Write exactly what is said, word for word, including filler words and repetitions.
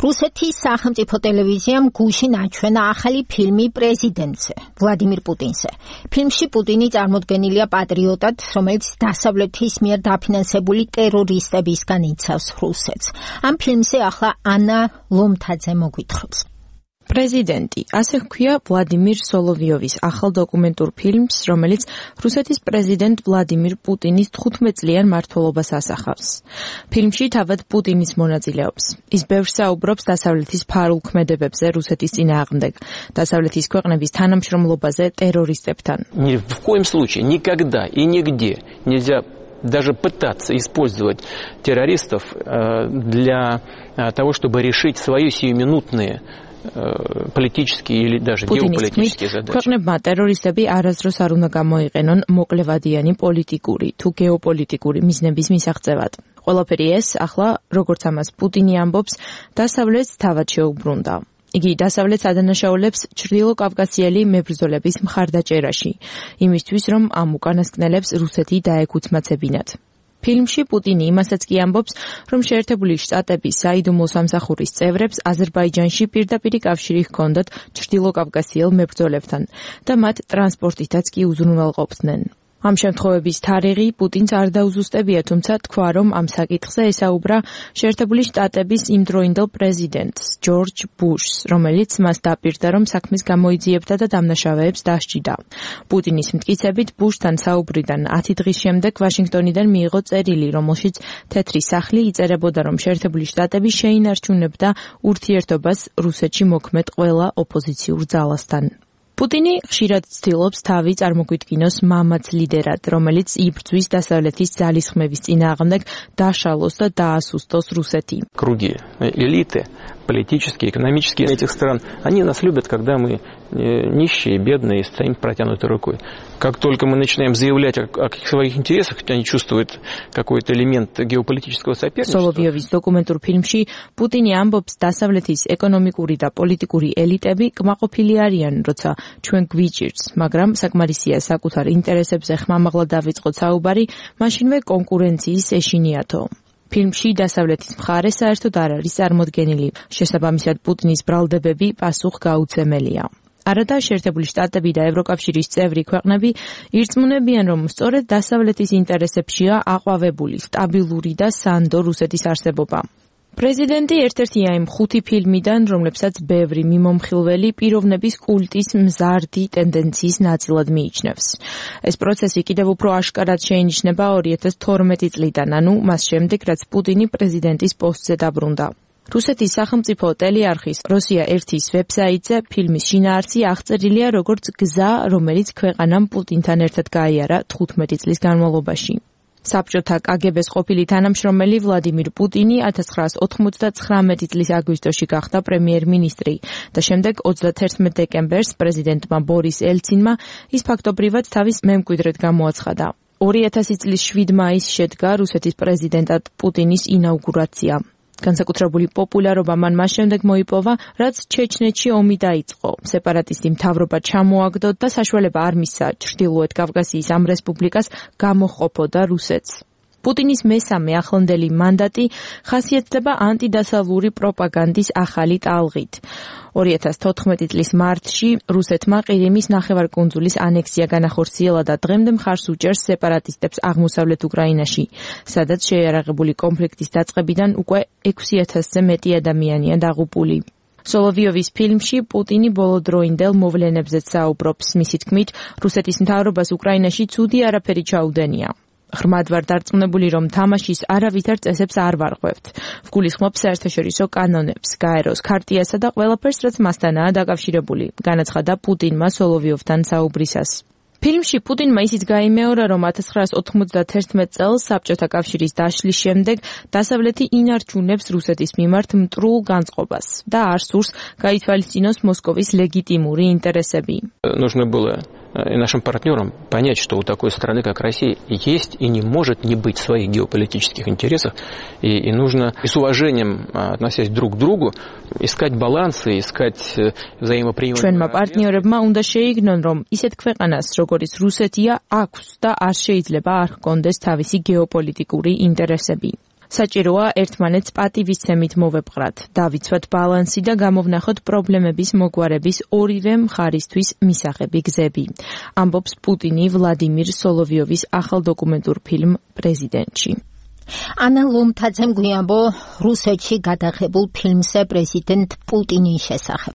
რუსეთის სახელმწიფო ტელევიზიამ გუშინ აჩვენა ახალი ფილმი პრეზიდენტზე, ვლადიმირ პუტინზე. ფილმში პუტინი წარმოდგენილია პატრიოტად, რომელიც დასავლეთის მიერ დაფინანსებული ტერორისტებისგან იცავს რუსეთს. ამ ფილმზე ახლა ანა ლომთაძე მოგვითხრობს. პრეზიდენტი, ასე ჰქვია ვლადიმირ სოლოვიოვის ახალ დოკუმენტურ ფილმს, რომელიც რუსეთის პრეზიდენტ ვლადიმირ პუტინის თხუთმეტ წლიან მმართველობას ასახავს. ფილმში თავად პუტინის მონაწილეობს. ის ბევრს საუბრობს დასავლეთის ფარულ ქმედებებზე რუსეთის წინააღმდეგ, დასავლეთის ქვეყნების თანამშრომლობაზე ტერორისტებთან. Ни в коем случае, никогда и нигде нельзя даже пытаться использовать террористов для того, чтобы решить свои сиюминутные политические или даже геополитические задачи. ქვეყნებმა ტერორისტები არასდროს არ უნდა გამოიყენონ მოკლევადიანი პოლიტიკური თუ გეოპოლიტიკური მიზნების მისაღწევად. ყველაფერი ეს ახლა, როგორც ამას პუტინი ამბობს, დასავლეთს თავად შეუბრუნდა. იგი დასავლეთს ადანაშაულებს ჩრდილოკავკასიელი მებრძოლების მხარდაჭერაში, იმისთვის, რომ ამ უკანასკნელებს რუსეთი დაეკუთმაცებინათ. ფილმში პუტინი იმასაც კი ამბობს, რომ შეერთებული შტატების საიდუმლო სამსახურის წევრებს აზერბაიჯანში პირდაპირი კავშირი ჰქონდათ ჩრდილოკავკასიელ მებრძოლებთან და მათ ტრანსპორტითაც კი უზრუნველყოფდნენ. ამ შემთხვევების თარიღი პუტინს არ დაუზუსტებია, თუმცა თქვა, რომ ამ საკითხზე ესაუბრა შეერთებული შტატების იმდროინდელ პრეზიდენტს, ჯორჯ ბუშს, რომელიც მას დაპირდა, რომ საქმეს გამოიძიებდა და დამნაშავეებს დასჯიდა. პუტინის მტკიცებით, ბუშთან საუბრიდან ათი დღის შემდეგ ვაშინგტონიდან მიიღო წერილი, რომელშიც თეთრი სახლი იწერებოდა, რომ შეერთებული შტატები შეინარჩუნებდა ურთიერთობას რუსეთში მოქმედ ყველა ოპოზიციურ ძალასთან. პუტინი ხშირად ცდილობს თავი წარმოგვიდგინოს მამაც ლიდერად, რომელიც იბრძვის დასავლეთის ძალისხმევის წინააღმდეგ, დაშალოს და დაასუსტოს რუსეთი. Круги, элиты, политические, экономические этих стран, они нас любят, когда мы нищие, бедные, стоим протянутой рукой. Как только мы начинаем заявлять о, о своих интересах, они чувствуют какой-то элемент геополитического соперничества. სოლოვიოვის დოკუმენტურ ფილმში პუტინი ამბობს, დასავლეთის ეკონომიკური და პოლიტიკური ელიტები კმაყოფილი არიან, როცა ჩვენ გვიჭირს, მაგრამ საკმარისია საკუთარ ინტერესებზე ხმამაღლა დავიწყოთ საუბარი, მაშინვე კონკურენციის ეშინიათო. ფილმში დასავლეთის მხარე საერთოდ არ არის წარმოდგენილი. შესაბამისად, პუტინის ბრალდებები პასუხგაუცემელია. არადა შეერთებული შტატები და ევროკავშირის წევრი ქვეყნები ირწმუნებიან, რომ სწორედ დასავლეთის ინტერესებშია აყვავებული სტაბილური და სანდო რუსეთის არსებობა. პრეზიდენტი ერთ-ერთია იმ ხუთი ფილმიდან, რომლებსაც ბევრი მიმომხილველი პიროვნების კულტის მზარდი ტენდენციის ნაწილად მიიჩნევს. ეს პროცესი კიდევ უფრო აშკარად შეინიშნება ორი ათას თორმეტი წლიდან, ანუ მას შემდეგ, რაც პუტინი პრეზიდენტის პოსტზე დაბრუნდა. რუსეთის სახელმწიფო ტელეარხის რუსია ერთის ვებსაიტზე ფილმის შინაარსი აღწერილია როგორც გზა, რომელიც ქვეყანამ პუტინთან ერთად გაიარა თხუთმეტი წლის განმავლობაში. საბჭოთა კაგებეს ყოფილი თანამშრომელი ვლადიმირ პუტინი ათას ცხრაას ოთხმოცდათხრამეტი წლის აგვისტოში გახდა პრემიერ-მინისტრი და შემდეგ ოცდათერთმეტ დეკემბერს პრეზიდენტმა ბორის ელცინმა ის ფაქტობრივად თავის მემკვიდრედ გამოაცხადა. ორი ათასი წლის შვიდ მაისს შედგა რუსეთის პრეზიდენტად პუტინის ინაუგურაცია. განსაკუთრებული პოპულარობა მან მას შემდეგ მოიპოვა, რაც ჩეჩნეთში ომი დაიწყო. სეპარატისტი მთავრობა ჩამოაგდო და საშუალება არ მისცა ჩრდილოეთ კავკასიის ამ რესპუბლიკას გამოჰყოფოდა რუსეთს. პუტინის მესამე ახლანდელი მანდატი ხასიათდება ანტიდასავლური პროპაგანდის ახალი ტალღით. ორი ათას თოთხმეტი წლის მარტში რუსეთმა ყირიმის ნახევარკუნძულის ანექსია განახორციელა და დღემდე მხარს უჭერს სეპარატისტებს აღმოსავლეთ უკრაინაში, სადაც შეიარაღებული კონფლიქტის დაწყებიდან უკვე ექვსი ათასზე მეტი ადამიანია დაღუპული. სოლოვიოვის ფილმში პუტინი ბოლოდროინდელ მოვლენებზეც საუბრობს. მისი თქმით, რუსეთის მთავრობას უკრაინაში ცუდი არაფერი ჩაუდენია. ღრმად ვარ დარწმუნებული, რომ თამაშის არავითარ წესებს არ ვარღვევთ. ვგულისხმობ საერთაშორისო კანონებს, გაეროს ქარტიასა და ყველაფერს, რაც მასთანაა დაკავშირებული, განაცხადა პუტინმა სოლოვიოვთან საუბრისას. ფილმში პუტინმა ისიც გაიმეორა, რომ ათას ცხრაას ოთხმოცდათერთმეტ წელს საბჭოთა კავშირის დაშლის შემდეგ დასავლეთი ინარჩუნებს რუსეთის მიმართ მტრულ განწყობას და არ სურს გაითვალისწინოს მოსკოვის ლეგიტიმური ინტერესები. Нужно было и нашим партнерам понять, что у такой страны, как Россия, есть и не может не быть своих геополитических интересов, и, и нужно и с уважением, относясь друг к другу, искать балансы, искать взаимоприемлемые. ჩვენმა პარტნიორებმა უნდა შეიგნონ, რომ ისეთ ქვეყანას, როგორც რუსეთია, აქვს და არ შეიძლება არ ჰქონდეს თავისი გეოპოლიტიკური ინტერესები. საჭიროა ერთმანეთს პატივისცემით მოვეპყრათ, დავიცვათ ბალანსი და გამოვნახოთ პრობლემების მოგვარების ორივე მხარისთვის მისაღები გზები. ამბობს პუტინი ვლადიმირ სოლოვიოვის ახალ დოკუმენტურ ფილმ პრეზიდენტში. ანა ლომთაძემ გვიამბო რუსეთში გადაღებულ ფილმზე პრეზიდენტ პუტინის შესახებ.